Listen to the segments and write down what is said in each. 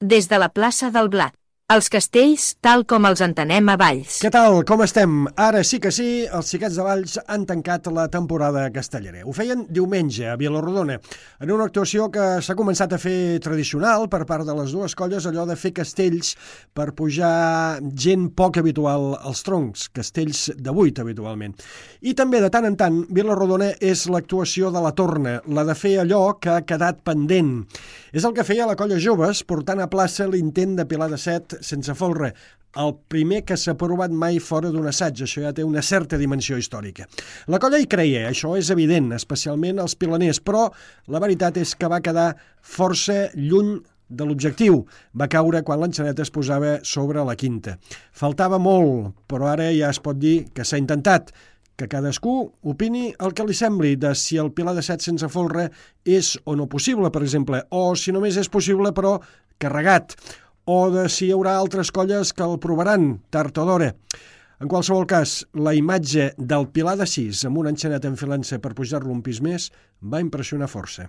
des de la plaça del Blat. Els castells tal com els entenem a Valls. Què tal? Com estem? Ara sí que sí, els Xiquets de Valls han tancat la temporada castellera. Ho feien diumenge a Vila-rodona, en una actuació que s'ha començat a fer tradicional per part de les dues colles, allò de fer castells per pujar gent poc habitual als troncs, castells de 8 habitualment. I també de tant en tant, Vila-rodona és l'actuació de la torna, la de fer allò que ha quedat pendent. És el que feia la colla Joves, portant a plaça l'intent de Pilar de Set sense folre, el primer que s'ha provat mai fora d'un assaig. Això ja té una certa dimensió històrica. La colla hi creia, això és evident, especialment els pilaners, però la veritat és que va quedar força lluny de l'objectiu. Va caure quan l'enxaneta es posava sobre la quinta. Faltava molt, però ara ja es pot dir que s'ha intentat. Que cadascú opini el que li sembli de si el Pilar de Set sense folre és o no possible, per exemple, o si només és possible però carregat, o de si hi haurà altres colles que el provaran tard o d'hora. En qualsevol cas, la imatge del Pilar de 6 amb una enxaneta enfilant-se per pujar-lo un pis més va impressionar força.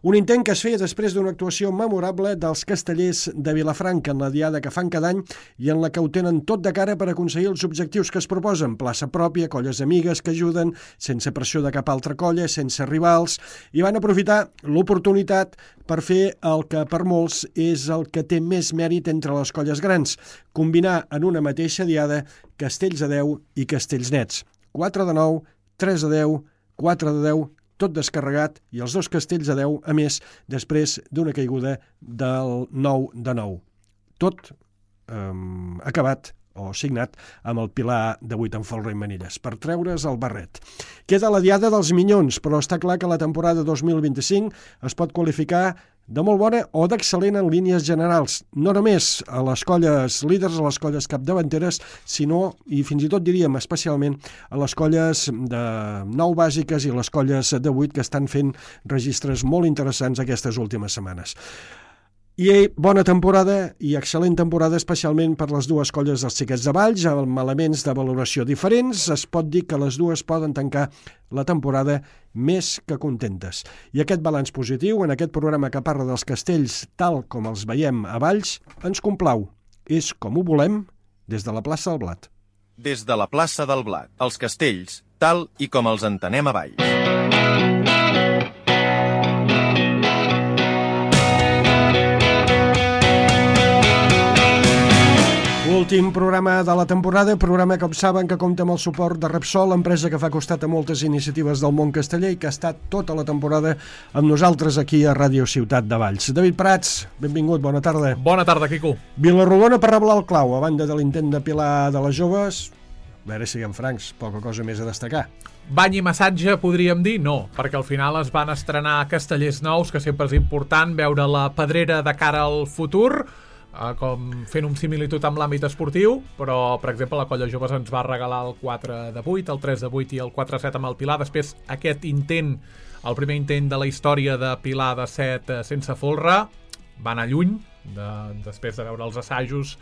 Un intent que es feia després d'una actuació memorable dels castellers de Vilafranca en la diada que fan cada any i en la que ho tenen tot de cara per aconseguir els objectius que es proposen, plaça pròpia, colles amigues que ajuden, sense pressió de cap altra colla, sense rivals, i van aprofitar l'oportunitat per fer el que per molts és el que té més mèrit entre les colles grans, combinar en una mateixa diada castells a 10 i castells nets. 4 de 9, 3 de 10, 4 de 10, tot descarregat, i els dos castells a 10, a més, després d'una caiguda del 9 de 9. Tot acabat o signat amb el Pilar de 8 en folre i manilles, per treure's el barret. Queda la diada dels minyons, però està clar que la temporada 2025 es pot qualificar de molt bona o d'excel·lent en línies generals, no només a les colles líders, a les colles capdavanteres, sinó, i fins i tot diríem especialment, a les colles de 9 bàsiques i les colles de 8 que estan fent registres molt interessants aquestes últimes setmanes. I bona temporada i excel·lent temporada especialment per les dues colles dels Xiquets de Valls, amb elements de valoració diferents. Es pot dir que les dues poden tancar la temporada més que contentes. I aquest balanç positiu en aquest programa que parla dels castells tal com els veiem a Valls ens complau. És com ho volem des de la plaça del Blat. Des de la plaça del Blat, els castells tal i com els entenem a Valls. Últim programa de la temporada, programa que saben que compta amb el suport de Repsol, empresa que fa costat a moltes iniciatives del món casteller i que ha estat tota la temporada amb nosaltres aquí a Ràdio Ciutat de Valls. David Prats, benvingut, bona tarda. Bona tarda, Quico. Vila-rodona per reblar el clau, a banda de l'intent de Pilar de les Joves. A veure, siguem francs, poca cosa més a destacar. Bany i massatge, podríem dir? No, perquè al final es van estrenar castellers nous, que sempre és important veure la pedrera de cara al futur, com fent un similitud amb l'àmbit esportiu, però, per exemple, la colla Joves ens va regalar el 4 de 8, el 3 de 8 i el 4 de 7 amb el Pilar. Després, aquest intent, el primer intent de la història de Pilar de 7 sense folre, va anar lluny, després de veure els assajos,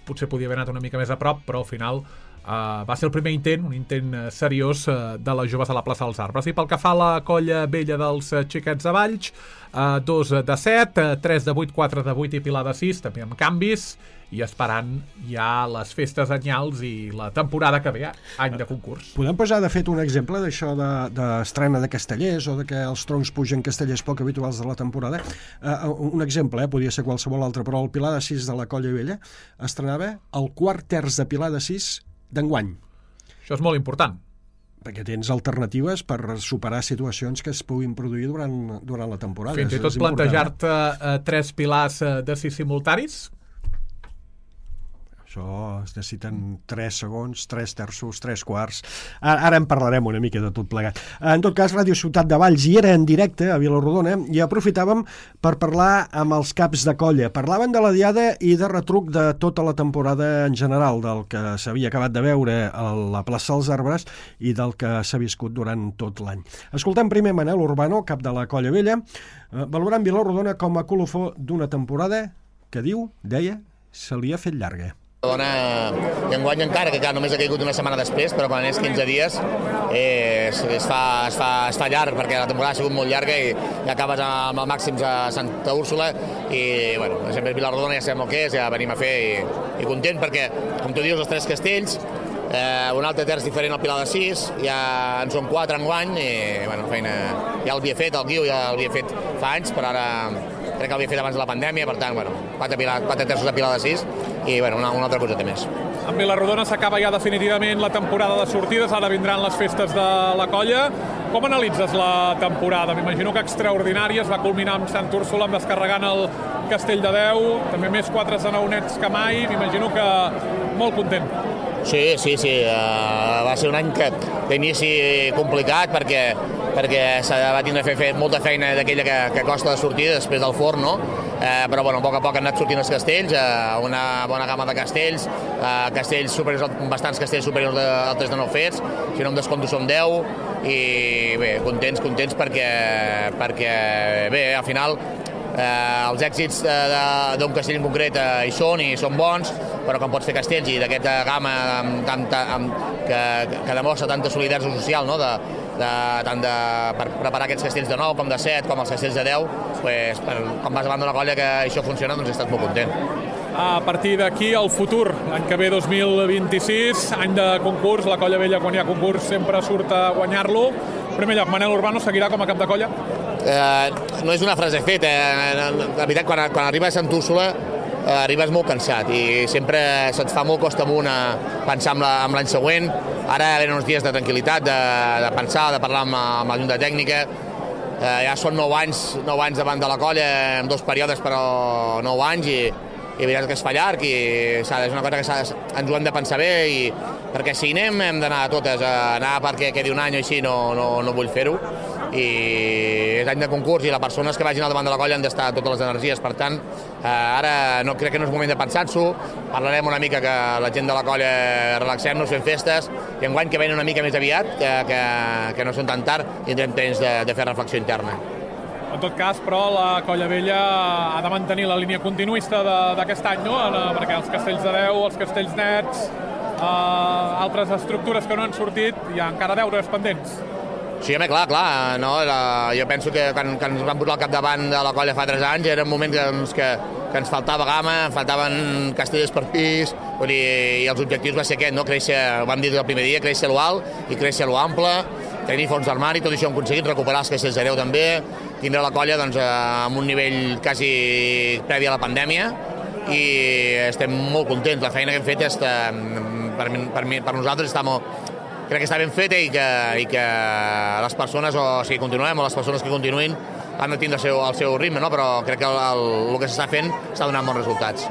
potser podia haver anat una mica més a prop, però al final va ser el primer intent, un intent seriós de les Joves a la plaça dels Arbres. I pel que fa a la colla vella dels Xiquets de Valls, 2 de 7, 3 de 8, 4 de 8 i Pilar de 6, també amb canvis, i esperant ja les festes anyals i la temporada que ve, any de concurs. Podem posar, de fet, un exemple d'això d'estrena de castellers o de que els troncs pugen castellers poc habituals de la temporada. Un exemple, podria ser qualsevol altre, però el Pilar de 6 de la colla vella estrenava el quart terç de Pilar de 6 d'enguany. Això és molt important. Perquè tens alternatives per superar situacions que es puguin produir durant la temporada. Fins i tot plantejar-te 3 pilars de 6 simultanis. Això es necessiten 3 segons, 3 terços, 3 quarts. Ara en parlarem una mica de tot plegat. En tot cas, Ràdio Ciutat de Valls hi era en directe a Vila-rodona i aprofitàvem per parlar amb els caps de colla. Parlaven de la diada i de retruc de tota la temporada en general, del que s'havia acabat de veure a la plaça dels Arbres i del que s'ha viscut durant tot l'any. Escoltem primer Manel Urbano, cap de la colla vella, valorant Vila-rodona com a colofó d'una temporada que deia, se li ha fet llarga. I enguany encara, que només ha caigut una setmana després, però quan és 15 dies es fa llarg, perquè la temporada ha sigut molt llarga i acabes amb el màxims a Santa Úrsula i, bueno, sempre Vilarrodona ja sabem el que és, ja venim a fer i content perquè, com tu dius, els 3 castells, un altre terç diferent al Pilar de 6, ja en són 4 enguany i, bueno, feina, ja l'havia fet, el Guiu ja l'havia fet fa anys, però ara crec que l'havia fet abans de la pandèmia, per tant, bueno, 4 terços de Pilar de 6 i, bueno, una altra coseta més. En Vilarrodona s'acaba ja definitivament la temporada de sortides, ara vindran les festes de la colla. Com analitzes la temporada? M'imagino que extraordinària, es va culminar amb Sant Úrsula, amb descarregant el Castell de Déu, també més 4 zanaonets que mai, m'imagino que molt content. Sí, va ser un any d'inici complicat perquè va tindre de fer molta feina d'aquella que costa de sortir després del forn, no? Però bueno, a poc a poc han anat sortint els castells, una bona gamma de castells, bastants castells superiors al 3 de 9 fets, si no em descompto som 10 i bé, contents perquè bé, al final els èxits d'un castell en concret hi són bons, però quan pots fer castells i d'aquesta gamma que demostra tanta solidaritat social, no? Tant per preparar aquests castells de 9 com de 7 com els castells de 10, pues, quan vas davant d'una colla que això funciona, doncs he estat molt content. A partir d'aquí, el futur, l'any que ve 2026, any de concurs, la Colla Vella quan hi ha concurs sempre surt a guanyar-lo. En primer lloc, Manel Urbano seguirà com a cap de colla? No és una frase feta, la veritat, quan arribes a Sant Úrsula arribes molt cansat i sempre se't fa molt costa amunt a pensar en l'any següent. Ara venen uns dies de tranquil·litat, de pensar, de parlar amb la junta tècnica. Ja són 9 anys davant de la colla, en 2 períodes, però 9 anys, i veritat que es fa llarg i és una cosa que ens ho hem de pensar bé, perquè si anem hem d'anar a totes, anar perquè quedi un any o així no vull fer-ho, i és any de concurs i les persones que vagin al davant de la colla han d'estar totes les energies, per tant ara crec que no és moment de pensar-s'ho, parlarem una mica que la gent de la colla relaxem-nos, fem festes, i enguany que venen una mica més aviat, que no són tan tard, tindrem temps de fer reflexió interna. En tot cas, però, la Colla Vella ha de mantenir la línia continuista d'aquest any, no? Perquè els castells de 10, els castells nets, altres estructures que no han sortit, hi ha encara deures pendents. Sí, home, clar, no? Jo penso que quan ens vam posar al capdavant de la colla fa 3 anys era un moment que ens faltava gamma, faltaven castells per pis, i els objectius va ser aquest, no? Créixer, ho vam dir des del primer dia, créixer a lo alt i créixer a lo ample, tenir fons d'armari, tot això hem aconseguit, recuperar els castells de 10 també, tindre la colla doncs, amb un nivell quasi previ a la pandèmia, i estem molt contents. La feina que hem fet per nosaltres crec que està ben feta i que les persones, o si continuem, o les persones que continuïn han de tindre el seu ritme, no? Però crec que el que s'està fent està donant bons resultats.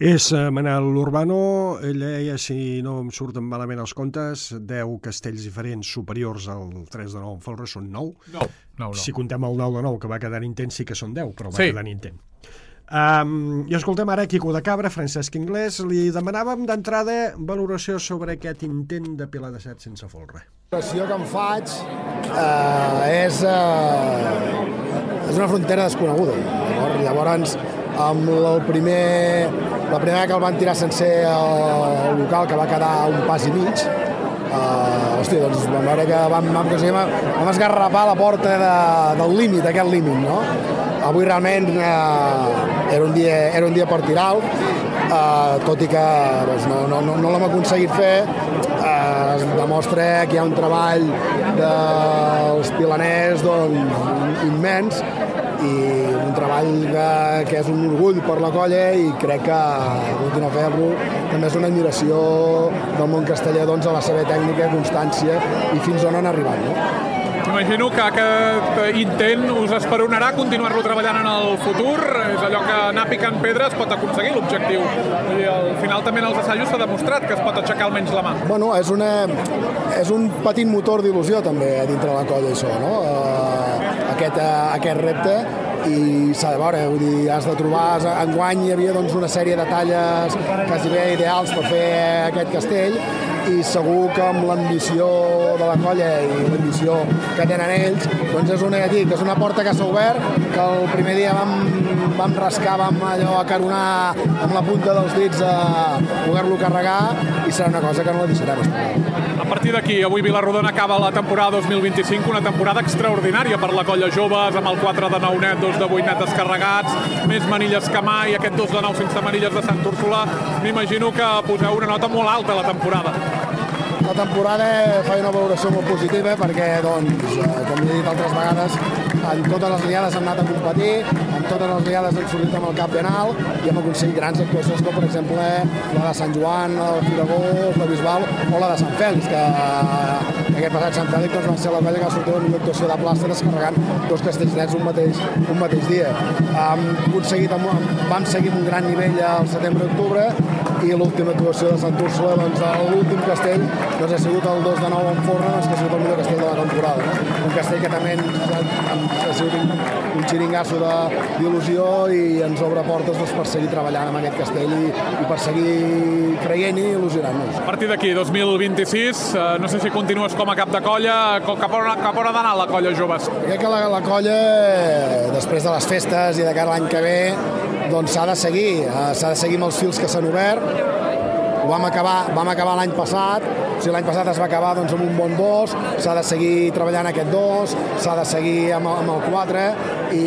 És Manel Urbano, ell deia, si no em surten malament els comptes, 10 castells diferents superiors al 3 de 9 en Folre són 9. No. Si contem el 9 de 9, que va quedar intent, sí que són 10, però va quedar intent. I escoltem ara Quico de Cabra, Francesc Inglés. Li demanàvem d'entrada valoració sobre aquest intent de Pilar de 7 sense folre. La valoració que em faig és una frontera desconeguda. Llavors, amb la primera que el van tirar sencer al local, que va quedar un pas i mig, doncs vam veure que vam esgarrapar la porta del límit, aquest límit, no? Avui realment era un dia per tirar-lo, tot i que no l'hem aconseguit fer. Es demostra que hi ha un treball dels pilaners immens i un treball que és un orgull per la colla, i crec que continuar a fer-lo també és una admiració del món casteller a la seva tècnica, constància i fins on han arribat, no? Imagino que aquest intent us esperonarà continuar-lo treballant en el futur. És allò que anar picant pedres pot aconseguir l'objectiu. I al final també en els assajos s'ha demostrat que es pot aixecar almenys la mà. Bueno, és un petit motor d'il·lusió també dintre la colla, això, no? Aquest repte, i s'ha de veure, vull dir, has de trobar, enguany hi havia una sèrie de talles quasi bé ideals per fer aquest castell, i segur que amb l'ambició de la colla i l'ambició que tenen ells, doncs és una porta que s'ha obert, que el primer dia vam rascar, vam allò acaronar amb la punta dels dits a poder-lo carregar, i serà una cosa que no la deixarem esperar. A partir d'aquí, avui Vila-rodona acaba la temporada 2025, una temporada extraordinària per la colla joves, amb el 4 de 9 net, 2 de 8 net descarregats, més manilles que mai, aquest 2 de 9 sense manilles de Sant Úrsula. M'imagino que poseu una nota molt alta a la temporada. La temporada fa una valoració molt positiva perquè, doncs, com he dit altres vegades, en totes les liades hem anat a competir, en totes les liades hem sortit amb el cap ben alt i hem aconseguit grans actuacions com, per exemple, la de Sant Joan, el Firagó, la Bisbal o la de Sant Fèlix, que aquest passat Sant Fèlix doncs, va ser la colla que va sortir amb una actuació de plaça descarregant 2 castells nets un mateix dia. Vam seguir amb un gran nivell al setembre-octubre i l'última actuació de Sant Úrsula, doncs, l'últim castell doncs, ha sigut el 2 de 9 en Forra, doncs, que ha sigut el millor castell de la temporada. No? Un castell que també ha sigut un xiringasso d'il·lusió i ens obre portes doncs, per seguir treballant amb aquest castell i per seguir creient i il·lusionant-nos. A partir d'aquí, 2026, no sé si continues com a cap de colla, cap on ha d'anar la colla joves? Crec que la colla, després de les festes i de cara a l'any que ve, doncs s'ha de seguir amb els fils que s'han obert. Vam acabar l'any passat, o sigui, l'any passat es va acabar doncs, amb un bon 2, s'ha de seguir treballant aquest 2, s'ha de seguir amb el 4 i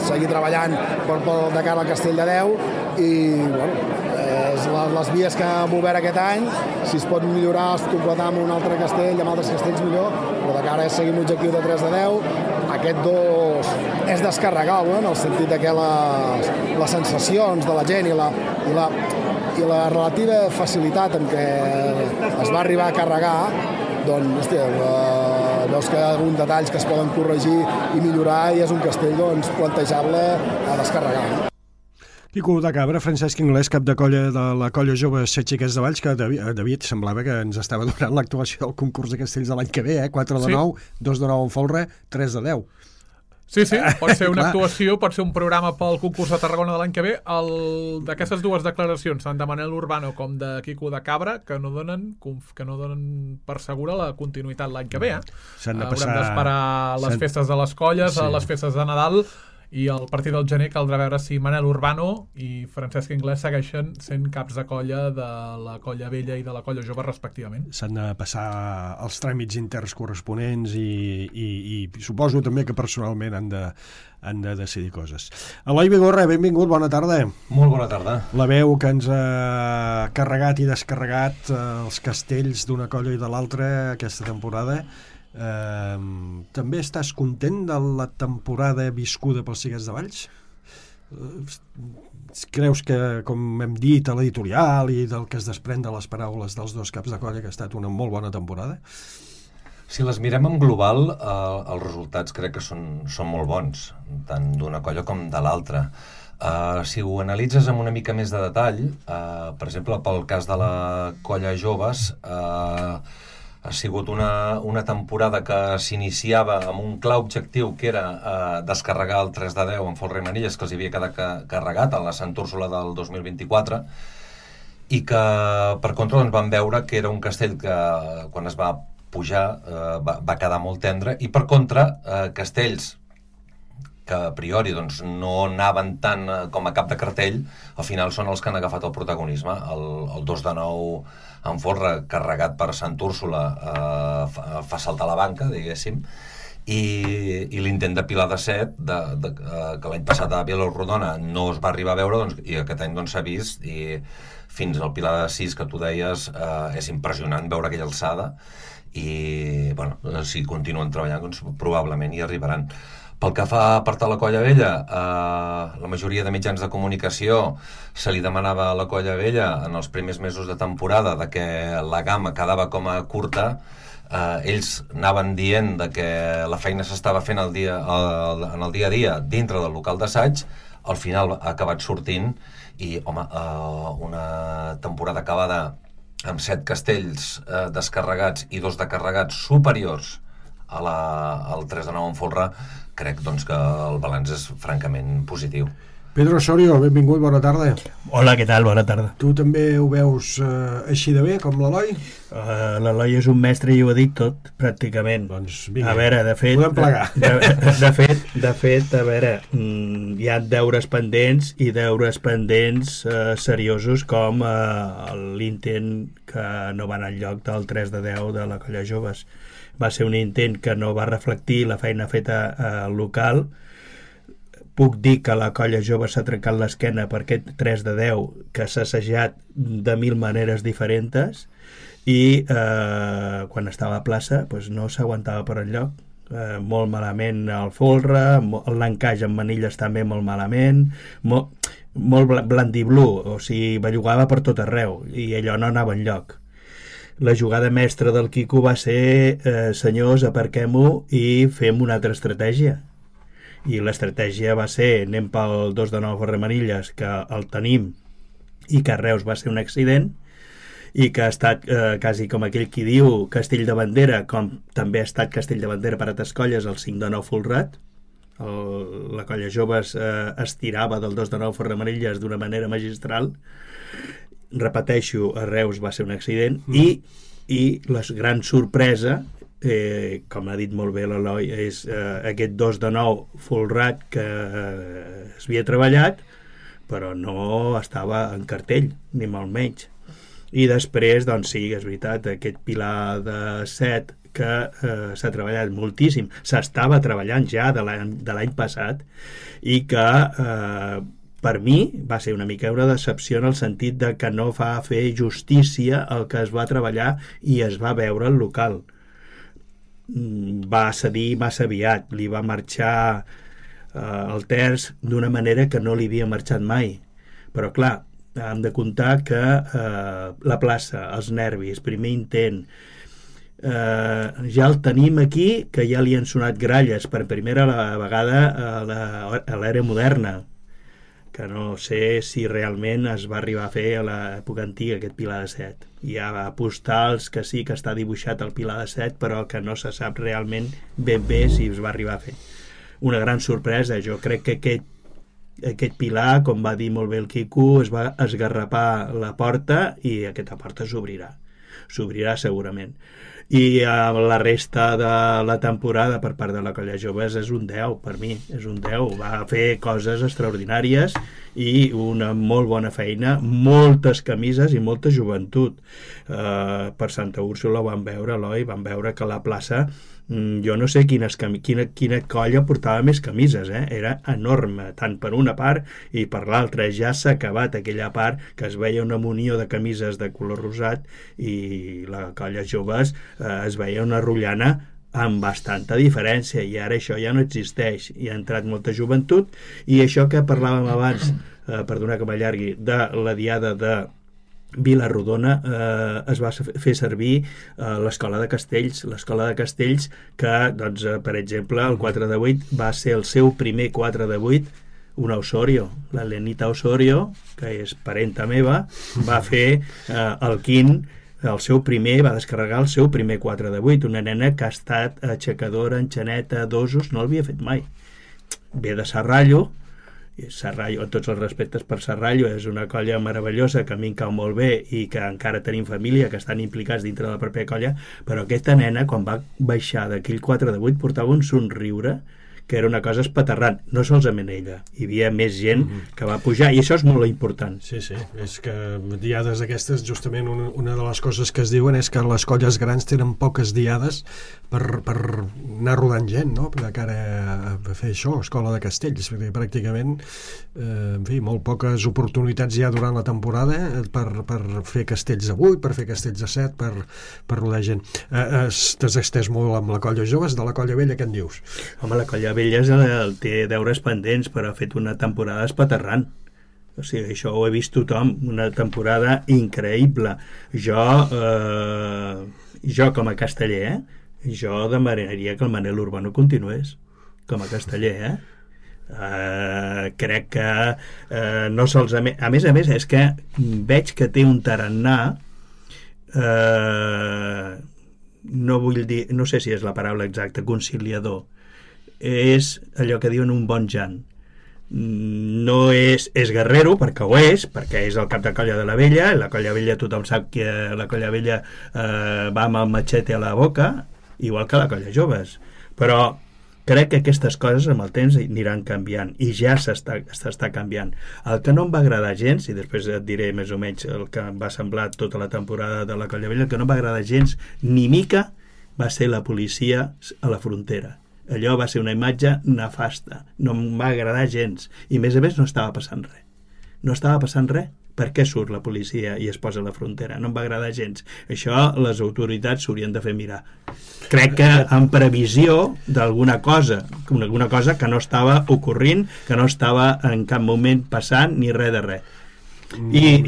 seguir treballant de cara al Castell de Déu i bueno, les vies que hem obert aquest any, si es pot millorar, es completar amb un altre castell, amb altres castells millor, però de cara a seguir un objectiu de 3 de 10, aquest 2 és descarregable, en el sentit que les sensacions de la gent i la relativa facilitat amb què es va arribar a carregar, doncs, hòstia, veus que hi ha alguns detalls que es poden corregir i millorar i és un castell doncs, plantejable a descarregar. Quico de Cabra, Francesc Inglés, cap de colla de la colla jove Set Xiquets de Valls, que David semblava que ens estava donant l'actuació al concurs de castells de l'any que ve, 4 de 9, 2 de 9 en folre, 3 de 10. Sí, pot ser una actuació, pot ser un programa pel concurs de Tarragona de l'any que ve. D'aquestes dues declaracions, tant de Manel Urbano com de Quico de Cabra, que no donen per segura la continuïtat l'any que ve. Haurem d'esperar les festes de les colles, les festes de Nadal, i el partit del gener caldrà veure si Manel Urbano i Francesc Inglés segueixen sent caps de colla de la colla vella i de la colla jove respectivament. S'han de passar els tràmits interns corresponents i suposo també que personalment han de decidir coses. Eloi Vigorra, benvingut, bona tarda. Molt bona tarda. La veu que ens ha carregat i descarregat els castells d'una colla i de l'altra aquesta temporada. També estàs content de la temporada viscuda pels Xiquets de Valls? Creus que, com hem dit a l'editorial i del que es desprèn de les paraules dels dos caps de colla, que ha estat una molt bona temporada? Si les mirem en global, els resultats crec que són molt bons, tant d'una colla com de l'altra. Si ho analitzes amb una mica més de detall, per exemple, pel cas de la colla joves, ha sigut una temporada que s'iniciava amb un clar objectiu que era descarregar el 3 de 10 en folre i manilles que els havia quedat carregat a la Sant Úrsula del 2024 i que per contra doncs, vam veure que era un castell que quan es va pujar va quedar molt tendre i per contra castells que a priori doncs, no anaven tant com a cap de cartell, al final són els que han agafat el protagonisme. El 2 de 9 en folre carregat per Sant Úrsula fa saltar la banca, diguéssim, i l'intent de Pilar de Set, que l'any passat a Vila-rodona no es va arribar a veure, doncs, i aquest any s'ha vist, i fins al Pilar de 6, que tu deies, és impressionant veure aquella alçada, i bueno, si continuen treballant, doncs, probablement hi arribaran. Pel que fa a part de la colla vella, la majoria de mitjans de comunicació se li demanava a la colla vella en els primers mesos de temporada de que la gamma quedava com a curta. Ells anaven dient de que la feina s'estava fent en el dia a dia dintre del local d'assaig, al final ha acabat sortint i, home, una temporada acabada amb 7 castells descarregats i 2 de carregats superiors al 3 de 9 en folre, crec doncs, que el balanç és francament positiu. Pedro Osorio, benvingut, bona tarda. Hola, què tal? Bona tarda. Tu també ho veus així de bé, com l'Eloi? L'Eloi és un mestre i ho ha dit tot, pràcticament. Doncs vinga, a veure, de fet, podem plegar. De fet, a veure, hi ha deures pendents i deures pendents seriosos com l'intent que no va anar enlloc del 3 de 10 de la Colla Joves. Va ser un intent que no va reflectir la feina feta al local. Puc dir que la Colla Jove s'ha trencat l'esquena per aquest 3 de 10 que s'ha assajat de 1000 maneres diferents i quan estava a plaça doncs no s'aguantava per enlloc. Molt malament el folre, l'encaix amb manilles també molt malament, molt blandiblu, o sigui, bellugava per tot arreu i allò no anava enlloc. La jugada mestra del Quico va ser senyors, aparquem-ho i fem una altra estratègia. I l'estratègia va ser anem pel 2 de 9 Ferremanilles, que el tenim i que a Reus va ser un accident i que ha estat quasi com aquell qui diu Castell de Bandera, com també ha estat Castell de Bandera per altres colles el 5 de 9 Folrat. La Colla Joves estirava del 2 de 9 Ferremanilles d'una manera magistral. Repeteixo, a Reus va ser un accident i la gran sorpresa, com ha dit molt bé l'Eloi, és aquest 2 de 9 Folrat que es havia treballat però no estava en cartell, ni molt menys. I després, doncs sí, és veritat, aquest pilar de 7 que s'ha treballat moltíssim, s'estava treballant ja de l'any passat i que per mi va ser una mica una decepció en el sentit de que no va fer justícia al que es va treballar i es va veure al local. Va cedir massa aviat, li va marxar el terç d'una manera que no li havia marxat mai. Però clar, hem de comptar que la plaça, els nervis, primer intent, ja el tenim aquí, que ja li han sonat gralles per primera vegada a l'era moderna, que no sé si realment es va arribar a fer a l'època antiga aquest pilar de 7. Hi ha postals que sí que està dibuixat el pilar de 7, però que no se sap realment ben bé si es va arribar a fer. Una gran sorpresa, jo crec que aquest pilar, com va dir molt bé el Quico, es va esgarrapar la porta i aquesta porta s'obrirà segurament. I la resta de la temporada per part de la Colla Joves és un 10 per mi, és un 10, va fer coses extraordinàries i una molt bona feina, moltes camises i molta joventut. Per Santa Úrsula ho vam veure, Eloi, vam veure que la plaça, jo no sé quina colla portava més camises, era enorme, tant per una part i per l'altra. Ja s'ha acabat aquella part que es veia una munió de camises de color rosat i la Colla Joves es veia una rotllana amb bastanta diferència i ara això ja no existeix. Hi ha entrat molta joventut i això que parlàvem abans, perdona que m'allargui, de la diada de Vila-rodona, es va fer servir l'escola de Castells que, doncs, per exemple, el 4 de 8 va ser el seu primer 4 de 8, una Osorio, la Lenita Osorio, que és parenta meva, va fer el quint, va descarregar el seu primer 4 de 8, una nena que ha estat aixecadora, enxaneta, dosos, no l'havia fet mai. Ve de Serrallo, amb tots els respectes per Serrallo, és una colla meravellosa que a mi em cau molt bé i que encara tenim família que estan implicats dintre de la pròpia colla, però aquesta nena quan va baixar d'aquell 4 de 8 portava un somriure que era una cosa espaterrant, no solament ella, hi havia més gent que va pujar, i això és molt important. Sí, és que diades aquestes, justament una de les coses que es diuen és que les colles grans tenen poques diades per anar rodant gent, no?, de cara a fer això, Escola de Castells, perquè pràcticament, en fi, molt poques oportunitats hi ha durant la temporada per fer castells de 8, per fer castells de 7, per rodar gent. T'has estès molt amb la Colla Joves, de la Colla Vella, què en dius? Home, la Colla Vella té deures pendents, però ha fet una temporada espaterrant. O sigui, això ho he vist tothom, una temporada increïble. Jo com a casteller, jo demanaria que el Manel Urbano continués com a casteller, crec que no sols a més és que veig que té un tarannà, no vull dir, no sé si és la paraula exacta, conciliador, és allò que diuen un bon Jan. no és guerrero, perquè ho és, perquè és el cap de colla de la vella. La colla vella, tothom sap que la colla vella va amb el matxete a la boca, igual que la colla joves. Però crec que aquestes coses amb el temps aniran canviant, i ja s'està canviant. El que no em va agradar gens, i després et diré més o menys el que em va semblar tota la temporada de la colla vella, el que no em va agradar gens ni mica va ser la policia a la frontera. Allò va ser una imatge nefasta, no em va agradar gens, i a més no estava passant res. No estava passant res. Per què surt la policia i es posa a la frontera? No em va agradar gens. Això les autoritats s'haurien de fer mirar. Crec que en previsió d'alguna cosa que no estava ocorrint, que no estava en cap moment passant ni res de res. I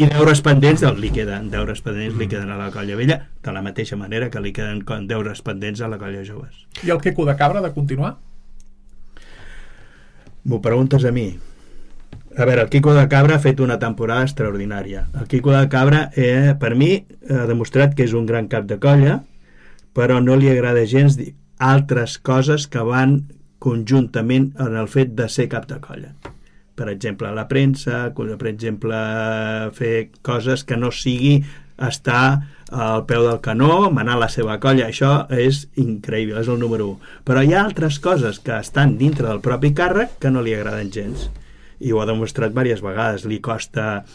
deures pendents li queden a la colla vella, de la mateixa manera que li queden deures pendents a la colla joves. I el Quico de Cabra, de continuar? M'ho preguntes a mi? A veure, el Quico de Cabra ha fet una temporada extraordinària. El Quico de Cabra, per mi, ha demostrat que és un gran cap de colla, però no li agrada gens dir altres coses que van conjuntament en el fet de ser cap de colla. Per exemple, la premsa, per exemple, fer coses que no sigui estar al peu del canó, manar la seva colla. Això és increïble, és el número 1. Però hi ha altres coses que estan dintre del propi càrrec que no li agraden gens. I ho ha demostrat diverses vegades. Li costa,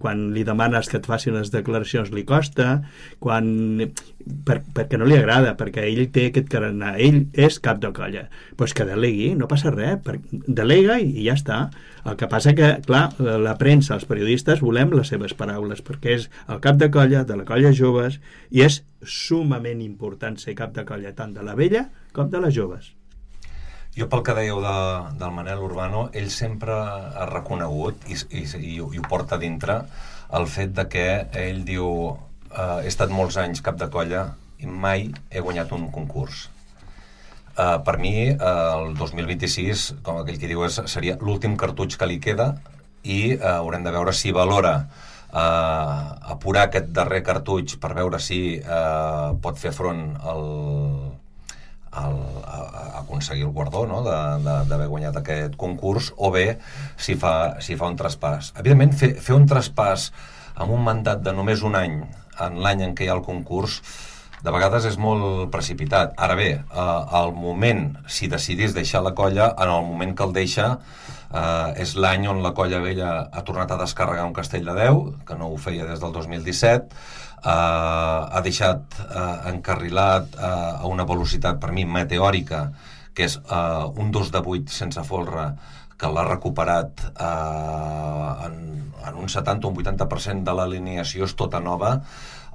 quan li demanes que et faci unes declaracions, li costa, perquè no li agrada, perquè ell té aquest carnet, ell és cap de colla. Doncs que delegui, no passa res, delega i ja està. El que passa que, clar, la premsa, els periodistes, volem les seves paraules, perquè és el cap de colla, de la colla joves, i és sumament important ser cap de colla, tant de la vella com de les joves. Jo, pel que dèieu del Manel Urbano, ell sempre ha reconegut i ho porta dintre el fet de que ell diu he estat molts anys cap de colla i mai he guanyat un concurs. Per mi, el 2026, com aquell que diu, seria l'últim cartutx que li queda i haurem de veure si valora apurar aquest darrer cartutx per veure si pot fer front a aconseguir el guardó, no? d'haver guanyat aquest concurs, o bé si fa un traspàs. Evidentment, fer un traspàs amb un mandat de només un any en l'any en què hi ha el concurs de vegades és molt precipitat. Ara bé, al moment, si decidís deixar la colla, en el moment que el deixa és l'any on la colla vella ha tornat a descarregar un castell de 10, que no ho feia des del 2017, ha deixat encarrilat a una velocitat per mi meteòrica, que és un 2 de 8 sense folre, que l'ha recuperat en un 70 o un 80% de l'alineació, és tota nova.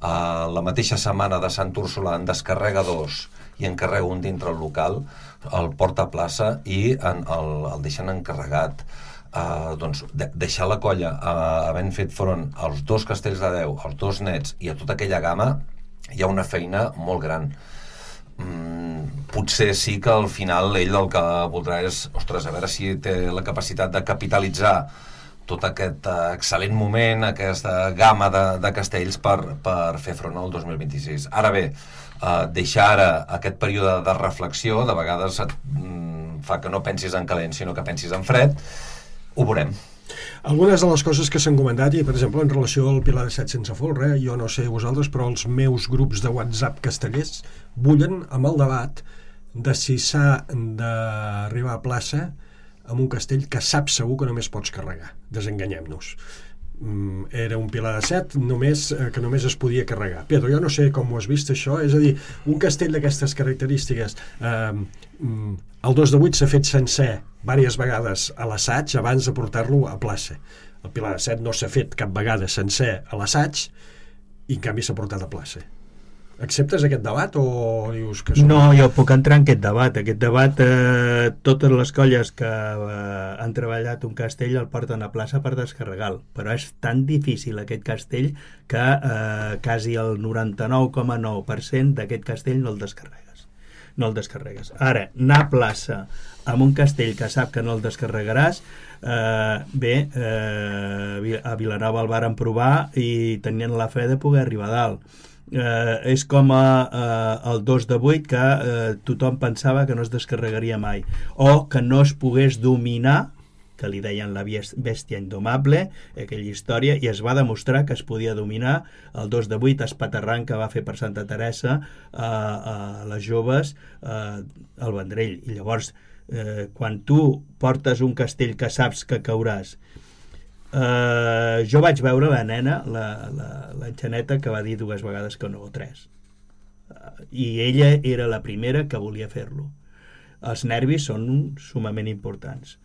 La mateixa setmana de Sant Úrsula en descarrega 2 i en carrega un dintre el local, el porta a plaça i el deixen encarregat. Doncs deixar la colla havent fet front als 2 castells de 10, als 2 nets i a tota aquella gamma, hi ha una feina molt gran. Potser sí que al final ell el que voldrà és, ostres, a veure si té la capacitat de capitalitzar tot aquest excel·lent moment, aquesta gamma de castells per fer front al 2026. Ara bé, deixar ara aquest període de reflexió de vegades fa que no pensis en calent, sinó que pensis en fred. Ho veurem. Algunes de les coses que s'han comentat, i per exemple en relació al Pilar de Set sense folre, jo no sé vosaltres, però els meus grups de WhatsApp castellers bullen amb el debat de si s'ha d'arribar a plaça amb un castell que saps segur que només pots carregar. Desenganyem-nos. Era un Pilar de Set que només es podia carregar. Pedro, jo no sé com ho has vist això, és a dir, un castell d'aquestes característiques, el 2 de 8 s'ha fet sencer diverses vegades a l'assaig abans de portar-lo a plaça. El Pilar de Set no s'ha fet cap vegada sencer a l'assaig i en canvi s'ha portat a plaça. Acceptes aquest debat o dius que... No, jo puc entrar en aquest debat. Aquest debat, totes les colles que han treballat un castell el porten a plaça per descarregar-lo, però és tan difícil aquest castell que quasi el 99,9% d'aquest castell no el descarregues. Ara, anar a plaça amb un castell que sap que no el descarregaràs, a Vilanova el varen provar i tenien la fe de poder arribar a dalt. és com el 2 de 8 que tothom pensava que no es descarregaria mai o que no es pogués dominar, que li deien la bèstia indomable, aquella història, i es va demostrar que es podia dominar el 2 de 8 espaterrant que va fer per Santa Teresa a les joves al Vendrell. I llavors, quan tu portes un castell que saps que cauràs, jo vaig veure la nena, la Xaneta, que va dir 2 vegades que no, o 3. I ella era la primera que volia fer-lo. Els nervis són sumament importants.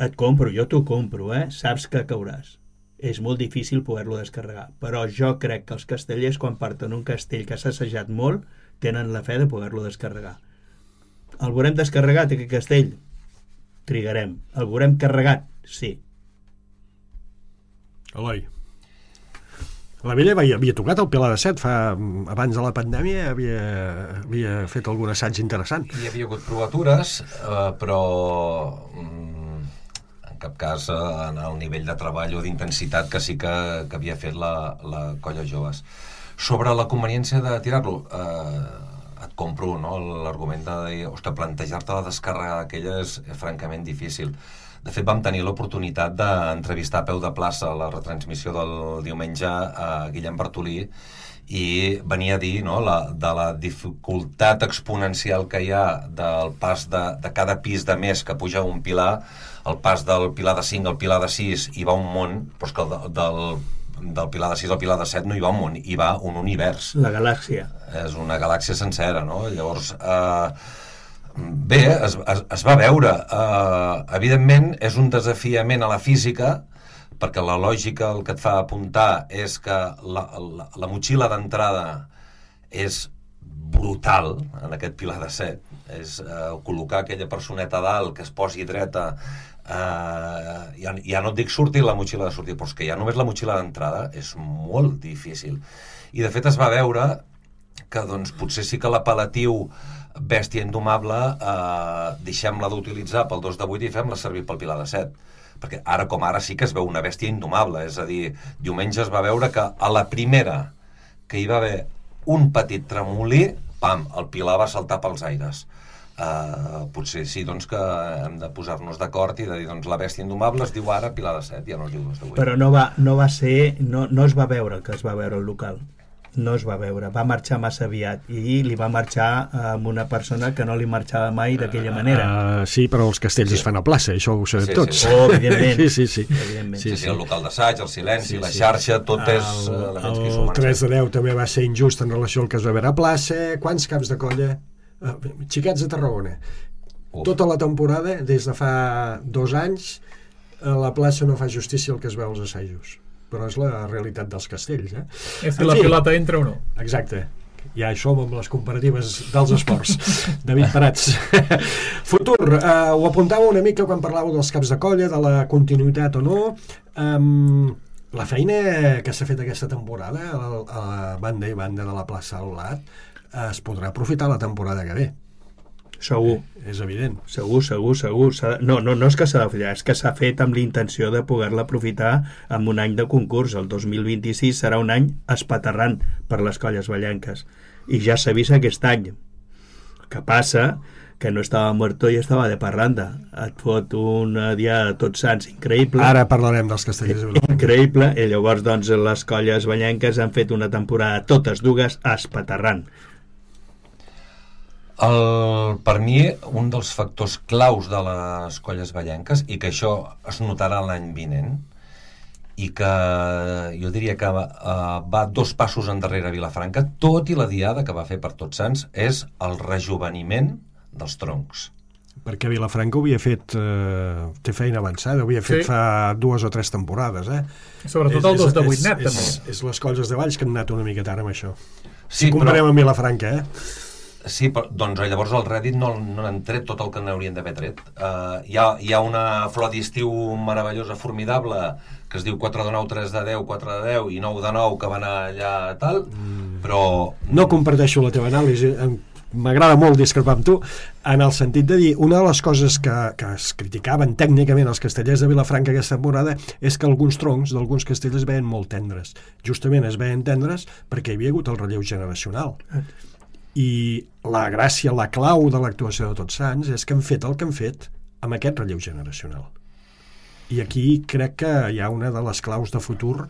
Et compro, jo t'ho compro, saps que cauràs. És molt difícil poder-lo descarregar, però jo crec que els castellers, quan parten un castell que s'ha assajat molt, tenen la fe de poder-lo descarregar. El veurem descarregat, aquest castell? Trigarem. El veurem carregat? Sí. Eloi. La Vella havia tocat el Pilar de Set abans de la pandèmia, havia fet algun assaig interessant. Hi havia hagut provatures, però en cap cas en el nivell de treball o d'intensitat que sí que havia fet la colla joves. Sobre la conveniència de tirar-lo, et compro, no? L'argument de dir, ostres, plantejar-te la descàrrega d'aquella és francament difícil. De fet, vam tenir l'oportunitat d'entrevistar a peu de plaça la retransmissió del diumenge a Guillem Bartolí i venia a dir, no, de la dificultat exponencial que hi ha del pas de cada pis de més que puja un pilar, el pas del pilar de 5 al pilar de 6 hi va un món, però és que del pilar de 6 al pilar de 7 no hi va un món, hi va un univers. La galàxia. És una galàxia sencera, no? Llavors, bé, es va veure. Evidentment, és un desafiament a la física, perquè la lògica el que et fa apuntar és que la motxilla d'entrada és brutal en aquest pilar de 7. És col·locar aquella personeta a dalt que es posi dreta, ja no et dic sortir la motxilla de sortir, però és que ja només la motxilla d'entrada és molt difícil. I de fet es va veure que doncs, potser sí que l'apel·latiu bèstia indomable deixem-la d'utilitzar pel 2 de 8 i fem-la servir pel pilar de 7, perquè ara com ara sí que es veu una bèstia indomable, és a dir, diumenge es va veure que a la primera que hi va haver un petit tremolí, pam, el pilar va saltar pels aires. Potser sí, doncs, que hem de posar-nos d'acord i de dir, doncs, la bèstia indomable es diu ara pilar de 7, ja no es diu 2 de 8. Però no va ser, no es va veure el que es va veure al local. No es va veure, va marxar massa aviat i li va marxar amb una persona que no li marxava mai d'aquella manera. Sí, però els castells es fan a plaça, això ho sabem tots. Oh, evidentment. Sí. El local d'assaig, el silenci, la xarxa, tot és elements que hi sumen. El 3 de 10 també va ser injust en relació al que es va veure a plaça. Quants caps de colla? Xiquets de Tarragona. Tota la temporada, des de fa 2 anys, a la plaça no fa justícia el que es veu als assajos. Però és la realitat dels castells. És que la pilota entra o no. Exacte. Ja hi som amb les comparatives dels esports. David Prats. Futur, ho apuntava una mica quan parlàveu dels caps de colla, de la continuïtat o no. La feina que s'ha fet aquesta temporada a banda i banda de la plaça Aulat es podrà aprofitar la temporada que ve. Segur. És evident. Segur. No és que s'ha de fer, és que s'ha fet amb l'intenció de poder-la aprofitar en un any de concurs. El 2026 serà un any espaterrant per les colles vallenques. I ja s'ha vist aquest any. El que passa que no estava muerto i estava de parranda. Et fot un dia de Tots Sants increïble. Ara parlarem dels castellers. Increïble. I llavors, doncs, les colles vallenques han fet una temporada totes dues espaterrant. Per mi, un dels factors claus de les colles vallenques, i que això es notarà l'any vinent, i que jo diria que va 2 passos endarrere a Vilafranca, tot i la diada que va fer per Tots Sants, és el rejoveniment dels troncs. Perquè Vilafranca ho havia fet, té feina avançada, ho havia fet fa 2 o 3 temporades. Sobretot el 2 de 8 net, també. És les colles de Valls que han anat una mica tard amb això. Sí, si comparem amb Vilafranca, Sí, però doncs llavors al Reddit no n'han tret tot el que n'haurien d'haver tret. Hi ha una flor d'estiu meravellosa, formidable, que es diu 4 de 9, 3 de 10, 4 de 10 i 9 de 9, que va anar allà tal, però... No comparteixo la teva anàlisi. m'agrada molt discrepar amb tu, en el sentit de dir, una de les coses que es criticaven tècnicament els castellers de Vilafranca aquesta temporada és que alguns troncs d'alguns castells es veien molt tendres. Justament es veien tendres perquè hi havia hagut el relleu generacional. I la gràcia, la clau de l'actuació de Tots Sants és que han fet el que han fet amb aquest relleu generacional. I aquí crec que hi ha una de les claus de futur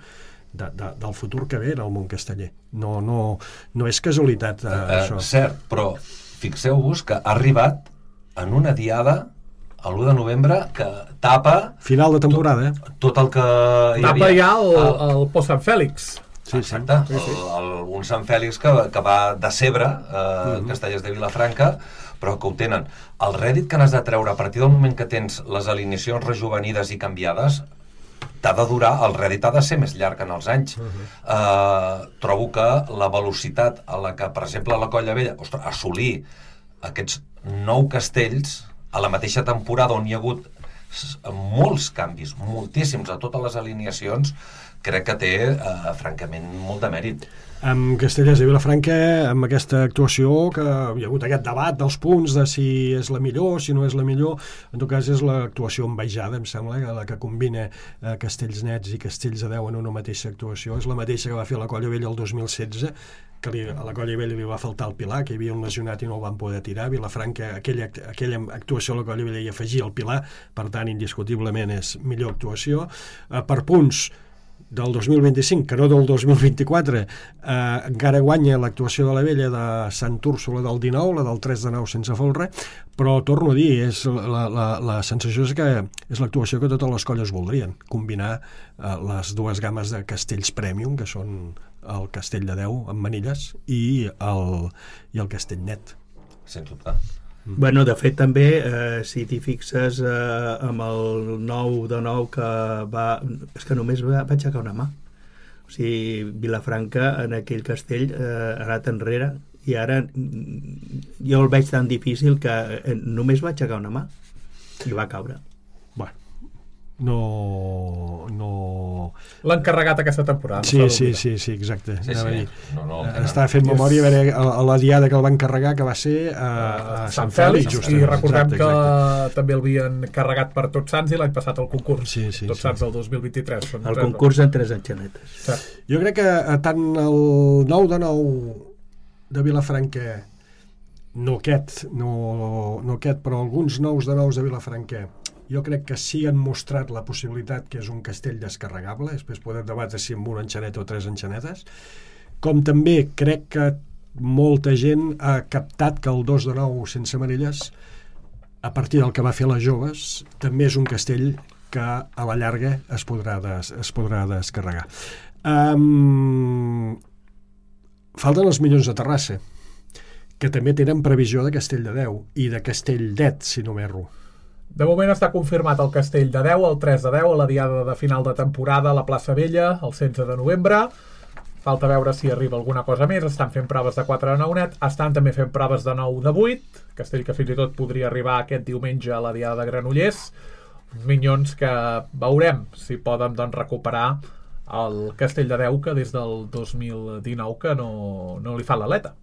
del futur que ve en el món casteller. No és casualitat això. Cert, però fixeu-vos que ha arribat en una diada l'1 de novembre que tapa final de temporada, tot el que hi havia. Tapa ja el post Sant Fèlix. Sí, exacte, un Sant Fèlix que va decebre castellers de Vilafranca, però que ho tenen. El rèdit que n'has de treure a partir del moment que tens les alineacions rejuvenides i canviades t'ha de durar, el rèdit ha de ser més llarg en els anys. Trobo que la velocitat a la que, per exemple, la Colla Vella, assolir aquests 9 castells a la mateixa temporada on hi ha hagut molts canvis, moltíssims a totes les alineacions, crec que té francament molt de mèrit. Amb Castellers de Vilafranca, amb aquesta actuació que hi ha hagut aquest debat dels punts de si és la millor, si no és la millor, en tot cas és l'actuació envejada, em sembla, la que combina castells nets i castells de 10 en una mateixa actuació. És la mateixa que va fer la Colla Vella el 2016, que a la Colla Vella li va faltar el Pilar, que hi havia un lesionat i no el van poder tirar. Vilafranca, aquella actuació a la Colla Vella hi afegia el Pilar, per tant, indiscutiblement és millor actuació. Per punts del 2025, que no del 2024, encara guanya l'actuació de la Vella de Sant Úrsula del 19, la del 3 de 9 sense folre, però torno a dir, la sensació és que és l'actuació que totes les colles voldrien, combinar les dues games de castells premium, que són el castell de 10 amb manilles i el castell net. Sens dubte. Bueno, de fet també, si t'hi fixes amb el 9 de 9 que va... És que només va aixecar una mà. O sigui, Vilafranca en aquell castell ha anat enrere i ara jo el veig tan difícil que només va aixecar una mà i va caure. Bueno, no... L'han carregat aquesta temporada. Sí, exacte. Sí. Estava fent memòria a veure a la diada que el van carregar, que va ser a Sant Fèlix. I recordem que també el havien carregat per Tots Sants i l'any passat el concurs. Tots Sants del 2023. El concurs en 3 enxanetes. Jo crec que tant el 9 de 9 de Vilafranca, no aquest, però alguns 9 de 9 de Vilafranca, jo crec que sí han mostrat la possibilitat que és un castell descarregable, després podem debatre si amb una enxaneta o 3 enxanetes, com també crec que molta gent ha captat que el 2 de 9 sense manilles, a partir del que va fer les joves, també és un castell que a la llarga es podrà descarregar. Falten els Minyons de Terrassa, que també tenen previsió de castell de 10 i de castell net, si no m'erro. De moment està confirmat el castell de 10, el 3 de 10, a la diada de final de temporada a la plaça Vella, el 16 de novembre. Falta veure si arriba alguna cosa més. Estan fent proves de 4 de 9 net, estan també fent proves de 9 de 8, castell que fins i tot podria arribar aquest diumenge a la diada de Granollers. Uns Minyons que veurem si poden recuperar el castell de 10 que des del 2019 que no li fa l'aleta.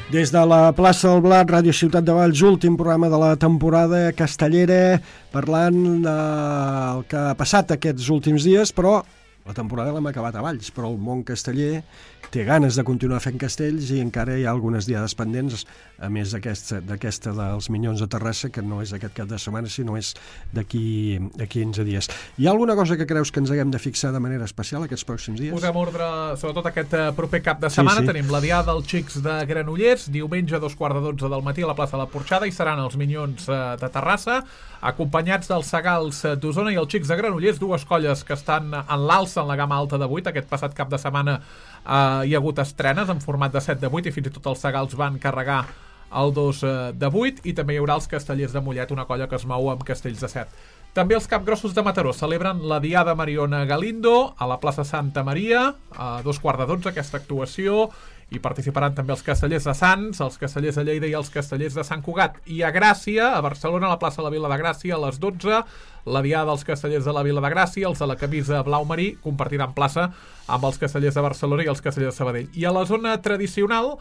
Des de la plaça del Blat, Ràdio Ciutat de Valls, últim programa de la temporada castellera, parlant del que ha passat aquests últims dies, però la temporada l'hem acabat a Valls, però el món casteller té ganes de continuar fent castells i encara hi ha algunes diades pendents, a més d'aquesta dels Minyons de Terrassa, que no és aquest cap de setmana, sinó és d'aquí 15 dies. Hi ha alguna cosa que creus que ens haguem de fixar de manera especial aquests pròxims dies? Posem ordre, sobretot aquest proper cap de setmana. Sí. Tenim la diada dels Xics de Granollers, diumenge a 2:15 del matí a la plaça de la Porxada, i seran els Minyons de Terrassa, acompanyats dels Segals d'Osona i els Xics de Granollers, dues colles que estan en l'alça en la gamma alta de 8. Aquest passat cap de setmana hi ha hagut estrenes en format de 7 de 8 i fins i tot els Segals van carregar el 2 de 8, i també hi haurà els Castellers de Mollet, una colla que es mou amb castells de 7. També els Capgrossos de Mataró celebren la Diada Mariona Galindo a la plaça Santa Maria a 2:15 aquesta actuació, Hi participaran també els castellers de Sants, els castellers de Lleida i els castellers de Sant Cugat. I a Gràcia, a Barcelona, a la plaça de la Vila de Gràcia, a les 12, la diada dels castellers de la Vila de Gràcia, els de la camisa blau marí, compartiran plaça amb els castellers de Barcelona i els castellers de Sabadell. I a la zona tradicional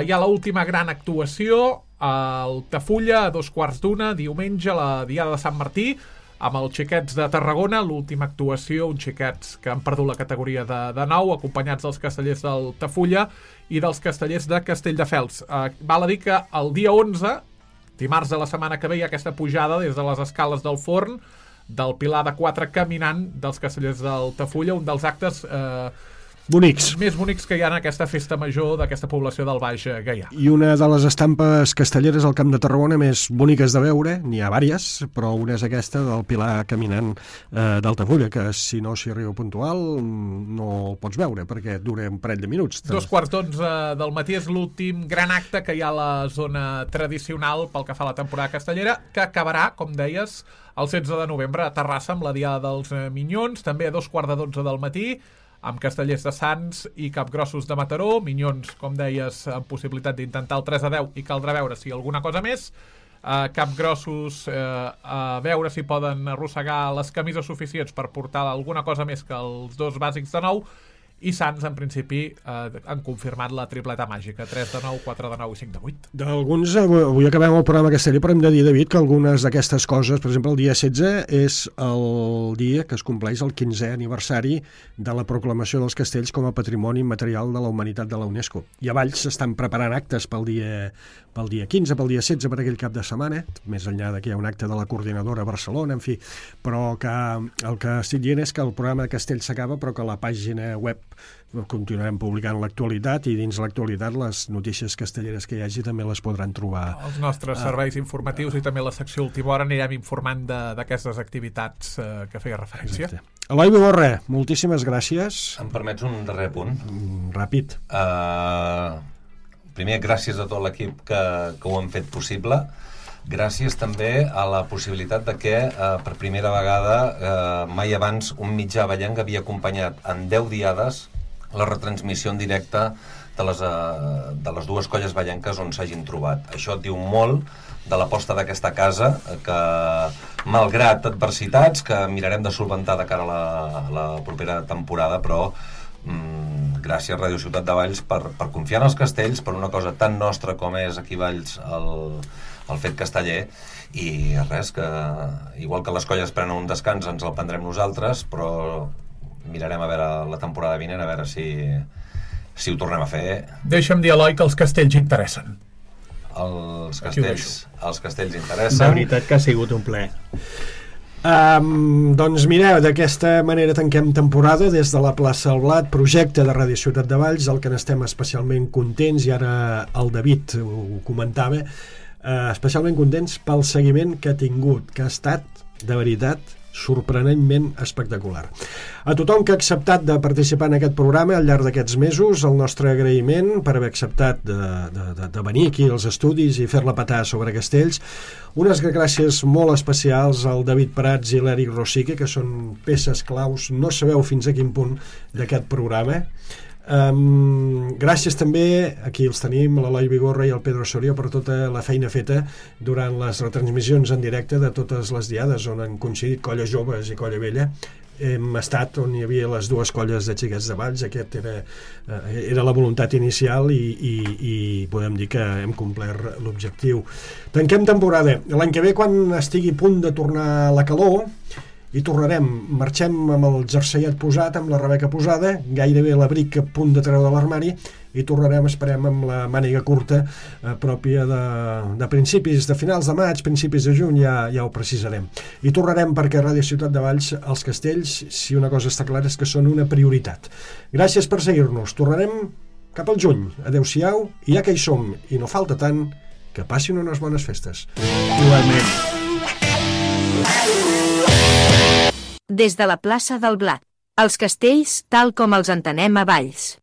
hi ha l'última gran actuació, al Tafulla, a 2:15, diumenge, la diada de Sant Martí, amb els xiquets de Tarragona, l'última actuació, uns xiquets que han perdut la categoria de nou, acompanyats dels castellers del Tafulla i dels castellers de Castelldefels. Val a dir que el dia 11, dimarts de la setmana que ve, hi ha aquesta pujada des de les escales del Forn, del Pilar de 4 caminant dels castellers del Tafulla, un dels actes més bonics que hi ha en aquesta festa major d'aquesta població del Baix Gaià. I una de les estampes castelleres al Camp de Tarragona més boniques de veure, n'hi ha vàries, però una és aquesta del Pilar caminant d'Altafulla, que si no s'hi arriba puntual no el pots veure, perquè dura un parell de minuts. 2:15 del matí és l'últim gran acte que hi ha a la zona tradicional pel que fa a la temporada castellera, que acabarà, com deies, el 16 de novembre a Terrassa amb la diada dels Minyons, també a 2:15 del matí, amb castellers de Sants i capgrossos de Mataró, Minyons, com deies, amb possibilitat d'intentar el 3-10 i caldrà veure si alguna cosa més, capgrossos a veure si poden arrossegar les camises suficients per portar alguna cosa més que els dos bàsics de nou, i Sants, en principi, han confirmat la tripleta màgica, 3-9, 4-9 i 5-8. D'alguns, avui acabem el programa casteller, però hem de dir, David, que algunes d'aquestes coses, per exemple, el dia 16 és el dia que es compleix el 15è aniversari de la proclamació dels castells com a Patrimoni Immaterial de la Humanitat de la UNESCO. I a Valls s'estan preparant actes pel dia 15, pel dia 16, per aquell cap de setmana, més enllà que hi ha un acte de la coordinadora a Barcelona, en fi, però que el que estic dient és que el programa de castells s'acaba, però que la pàgina web continuarem publicant l'actualitat, i dins l'actualitat les notícies castelleres que hi hagi també les podran trobar. Els nostres serveis informatius i també la secció Última Hora anirem informant d'aquestes activitats que feia referència. Exacte. Eloi Vigorra, moltíssimes gràcies. Em permets un darrer punt? Ràpid. Primer, gràcies a tot l'equip que ho han fet possible. Gràcies també a la possibilitat de que per primera vegada mai abans un mitjà vallenc havia acompanyat en 10 diades la retransmissió en directe de les dues colles vallenques on s'hagin trobat. Això et diu molt de l'aposta d'aquesta casa, que malgrat adversitats que mirarem de solventar de cara a la propera temporada, però gràcies Ràdio Ciutat de Valls per confiar en els castells, per una cosa tan nostra com és aquí Valls el fet casteller, i res, que igual que les colles prenen un descans ens el prendrem nosaltres, però mirarem a veure la temporada vinent, a veure si ho tornem a fer. Deixa'm dir, Eloi, que els castells interessen. Els castells interessen. De veritat que ha sigut un plaer. Doncs mireu, d'aquesta manera tanquem temporada des de la plaça del Blat, projecte de Ràdio Ciutat de Valls, el que n'estem especialment contents, i ara el David ho comentava, especialment contents pel seguiment que ha tingut, que ha estat, de veritat, sorprenentment espectacular. A tothom que ha acceptat de participar en aquest programa al llarg d'aquests mesos, el nostre agraïment per haver acceptat de venir aquí als estudis i fer-la petar sobre castells. Unes gràcies molt especials al David Prats i l'Eric Rosique, que són peces claus, no sabeu fins a quin punt, d'aquest programa. Gràcies també, aquí els tenim, l'Eloi Vigorra i el Pedro Soria, per tota la feina feta durant les retransmissions en directe de totes les diades on han coincidit Colla Joves i Colla Vella. Hem estat on hi havia les dues colles de xiquets de Valls. Aquest era la voluntat inicial i podem dir que hem complert l'objectiu. Tanquem temporada. L'any que ve, quan estigui a punt de tornar la calor, i tornarem, marxem amb el jerseiet posat, amb la rebeca posada, gairebé l'abric a punt de treure de l'armari, i tornarem, esperem, amb la màniga curta pròpia de principis, de finals de maig, principis de juny, ja ho precisarem. I tornarem perquè a Ràdio Ciutat de Valls els castells, si una cosa està clara, és que són una prioritat. Gràcies per seguir-nos. Tornarem cap al juny. Adéu-siau, i ja que hi som, i no falta tant, que passin unes bones festes. Igualment. Des de la plaça del Blat, els castells tal com els entenem a Valls.